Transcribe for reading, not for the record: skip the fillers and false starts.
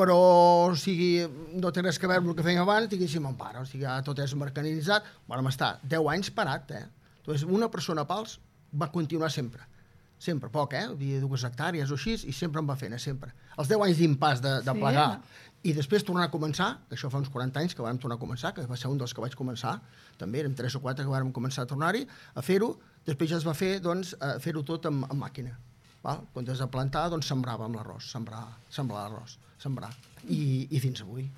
però, o sigui, no té res a veure amb el que fèiem abans, diguéssim, en pare, o sigui, ja tot és mecanitzat, vam estar 10 anys parat, Doncs una persona pals va continuar sempre, poc, hi havia 2 hectàrees o així, i sempre em va fent, sempre. Els 10 anys d'impàs de plegar, i després tornar a començar, això fa uns 40 anys que vam tornar a començar, que va ser un dels que vaig començar, també érem 3 o 4 que vam començar a tornar-hi, a fer-ho, després ja es va fer, doncs, fer-ho tot amb màquina. Val? Quan es va plantar, doncs sembrava amb l'arròs, sembrar l'arròs, i fins avui.